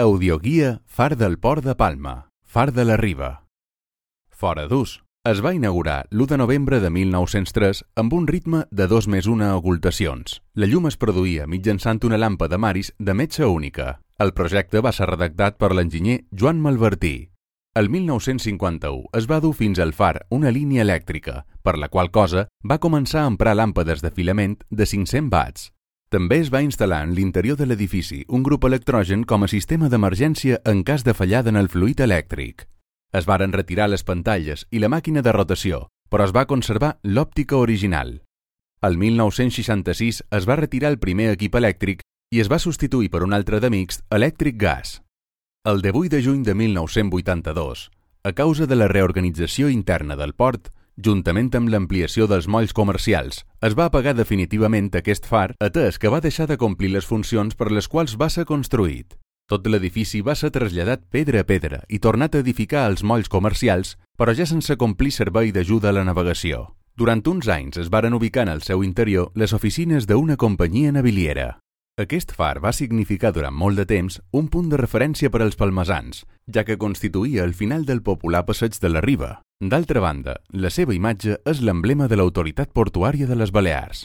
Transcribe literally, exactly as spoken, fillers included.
Audioguia Far del Port de Palma, Far de la Riba. Fora d'ús. Es va inaugurar l'u de novembre de mil nou-cents tres amb un ritme de dos més una ocultacions. La llum es produïa mitjançant una làmpada Maris de metxa única. El projecte va ser redactat per l'enginyer Joan Malvertí. El mil nou-cents cinquanta-u es va dur fins al far una línia elèctrica, per la qual cosa va començar a emprar làmpades de filament de cinc-cents watts. També es va instal·lar en l'interior de l'edifici un grup electrogen com a sistema d'emergència en cas de fallada en el fluid elèctric. Es varen retirar les pantalles i la màquina de rotació, però es va conservar l'òptica original. El mil nou-cents seixanta-sis es va retirar el primer equip elèctric i es va substituir per un altre de mixt elèctric-gas. El divuit de juny de mil nou-cents vuitanta-dos, a causa de la reorganització interna del port, juntament amb l'ampliació dels molls comercials, es va apagar definitivament aquest far, atès que va deixar de complir les funcions per les quals va ser construït. Tot l'edifici va ser traslladat pedra a pedra i tornat a edificar als molls comercials, però ja sense complir servei d'ajuda a la navegació. Durant uns anys es varen ubicar en el seu interior les oficines d'una companyia naviliera. Aquest far va significar durant molt de temps un punt de referència per als palmesans, ja que constituïa el final del popular passeig de la Riba. D'altra banda, la seva imatge és l'emblema de l'autoritat portuària de les Balears.